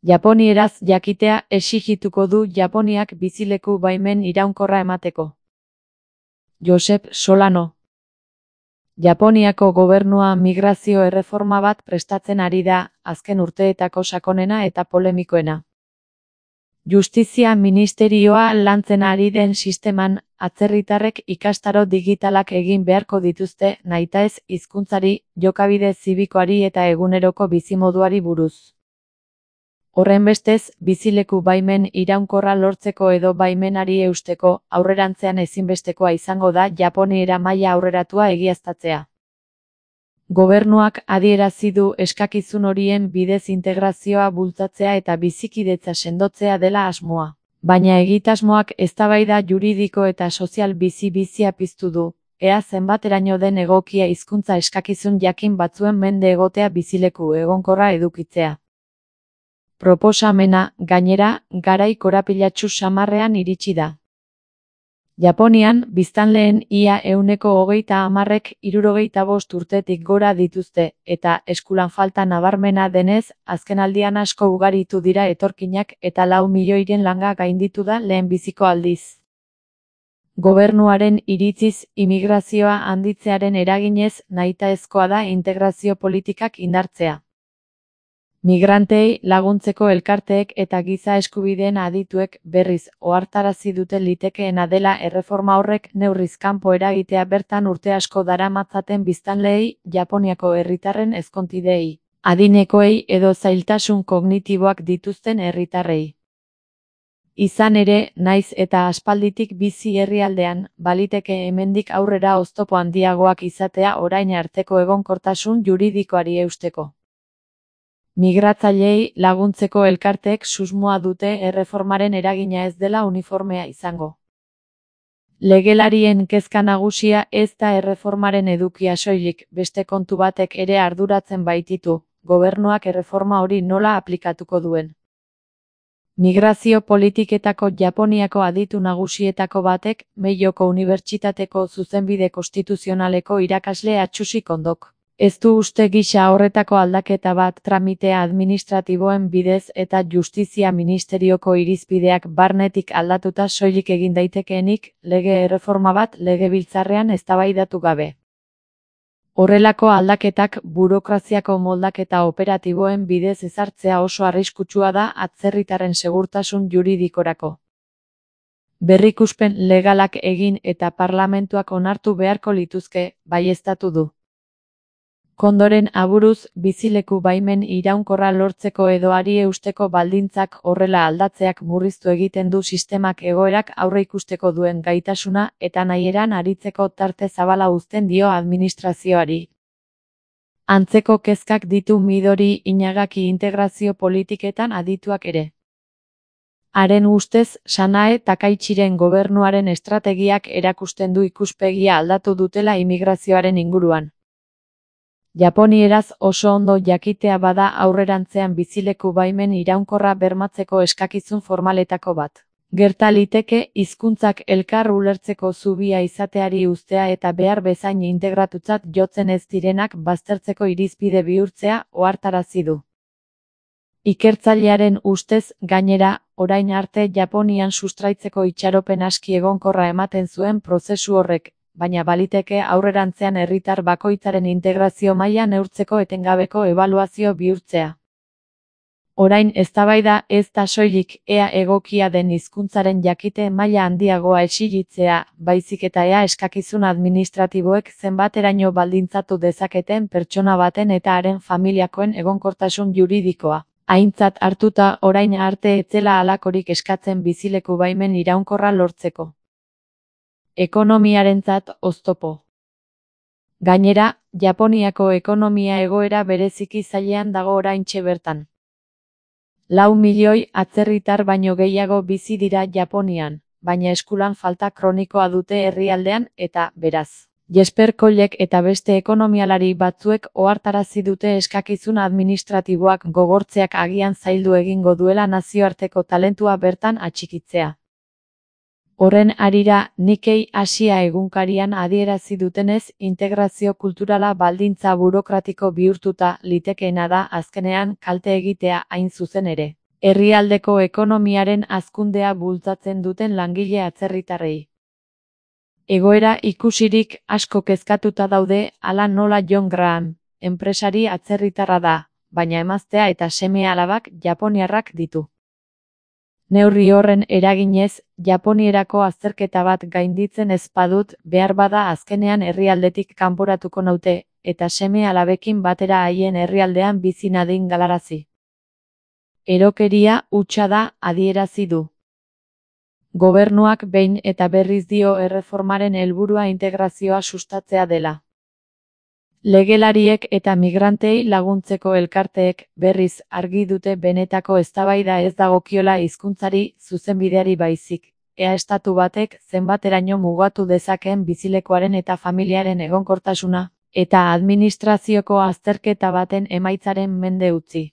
Japonieraz jakitea exigituko du Japoniak bizileku baimen iraunkorra emateko. Josep Solano. Japoniako gobernua migrazio erreforma bat prestatzen ari da, azken urteetako sakonena eta polemikoena. Justizia ministerioa lantzen ari den sisteman, atzerritarrek ikastaro digitalak egin beharko dituzte nahitaez hizkuntzari, jokabide zibikoari eta eguneroko bizimoduari buruz. Horrenbestez, bizileku baimen iraunkorra lortzeko edo baimenari eusteko, aurrerantzean ezinbestekoa izango da japoniera maila aurreratua egiaztatzea. Gobernuak adierazi du eskakizun horien bidez integrazioa bultzatzea eta bizikidetza sendotzea dela asmoa. Baina egitasmoak eztabaida juridiko eta sozial bizia piztu du, ea zenbateraino den egokia hizkuntza eskakizun jakin batzuen mende egotea bizileku egonkorra edukitzea. Proposamena, gainera, garai korapilatsu samarrean iritsi da. Japonian, biztanleen ia 30%ek 65 urtetik gora dituzte, eta eskulan falta nabarmena denez, azkenaldian asko ugaritu dira etorkinak eta 4 milioiren langa gainditu da lehenbiziko aldiz. Gobernuaren iritziz, imigrazioa handitzearen eraginez, nahitaezkoa da integrazio politikak indartzea. Migrantei laguntzeko elkarteek eta giza eskubideen adituek berriz ohartarazi dute litekeena dela erreforma horrek neurriz kanpo eragitea bertan urte asko daramatzaten biztanleei, Japoniako herritarren ezkontideei, adinekoei edo zailtasun kognitiboak dituzten herritarrei. Izan ere, naiz eta aspalditik bizi herrialdean, baliteke hemendik aurrera oztopo handiagoak izatea orain arteko egonkortasun juridikoari eusteko. Migratzaileei laguntzeko elkarteek susmoa dute erreformaren eragina ez dela uniformea izango. Legelarien kezka nagusia ez da erreformaren edukia soilik, beste kontu batek ere arduratzen baititu, gobernuak erreforma hori nola aplikatuko duen. Migrazio politiketako Japoniako aditu nagusietako batek, Meioko Unibertsitateko zuzenbide konstituzionaleko irakasle Atsushi Kondok. Ez du uste gisa horretako aldaketa bat tramitea administratiboen bidez eta justizia ministerioko irizpideak barnetik aldatuta soilik egin daitekeenik, lege erreforma bat legebiltzarrean eztabaidatu gabe. Horrelako aldaketak burokraziako moldaketa operatiboen bidez ezartzea oso arriskutsua da atzerritarren segurtasun juridikorako. Berrikuspen legalak egin eta parlamentuak onartu beharko lituzke, baieztatu du. Kondoren aburuz, bizileku baimen iraunkorra lortzeko edo hari eusteko baldintzak horrela aldatzeak murriztu egiten du sistemak egoerak aurreikusteko duen gaitasuna eta nahieran aritzeko tarte zabala uzten dio administrazioari. Antzeko kezkak ditu Midori Inagaki integrazio politiketan adituak ere. Haren ustez, Sanae Takaichiren gobernuaren estrategiak erakusten du ikuspegia aldatu dutela imigrazioaren inguruan. Japonieraz oso ondo jakitea bada aurrerantzean bizileku baimen iraunkorra bermatzeko eskakizun formaletako bat. Gerta liteke hizkuntzak elkar ulertzeko zubia izateari uztea eta behar bezain integratutzat jotzen ez direnak baztertzeko irizpide bihurtzea ohartarazi du. Ikertzailearen ustez, gainera, orain arte Japonian sustraitzeko itxaropen aski egonkorra ematen zuen prozesu horrek, baina baliteke aurrerantzean herritar bakoitzaren integrazio maila neurtzeko etengabeko ebaluazio bihurtzea. Orain eztabaida ez da soilik ea egokia den hizkuntzaren jakite maila handiagoa exigitzea, baizik eta ea eskakizun administratiboek zenbateraino baldintzatu dezaketen pertsona baten eta haren familiakoen egonkortasun juridikoa. Aintzat hartuta orain arte ez zela halakorik eskatzen bizileku baimen iraunkorra lortzeko. Ekonomiarentzat oztopo. Gainera, Japoniako ekonomia egoera bereziki zailean dago oraintxe bertan. 4 milioi atzerritar baino gehiago bizi dira Japonian, baina eskulan falta kronikoa dute herrialdean eta, beraz, Jesper Kollek eta beste ekonomialari batzuek ohartarazi dute eskakizun administratiboak gogortzeak agian zaildu egingo duela nazioarteko talentua bertan atxikitzea. Horren harira, Nikkei Asia egunkarian adierazi dutenez, integrazio kulturala baldintza burokratiko bihurtuta litekeena da azkenean kalte egitea hain zuzen ere. herrialdeko ekonomiaren hazkundea bultzatzen duten langile atzerritarrei. Egoera ikusirik asko kezkatuta daude, hala nola John Graham, enpresari atzerritarra da, baina emaztea eta seme-alabak japoniarrak ditu. Neurri horren eraginez, Japonierako azterketa bat gainditzen ez badut, beharbada azkenean herrialdetik kanporatuko naute, eta seme-alabekin batera haien herrialdean bizi nadin galarazi. Erokeria hutsa da, adierazi du. Gobernuak behin eta berriz dio erreformaren helburua integrazioa sustatzea dela. Legelariek eta migrantei laguntzeko elkarteek berriz argi dute benetako eztabaida ez dagokiola hizkuntzari zuzenbideari baizik, ea estatu batek zenbateraino mugatu dezakeen bizilekuaren eta familiaren egonkortasuna, eta administrazioko azterketa baten emaitzaren mende utzi.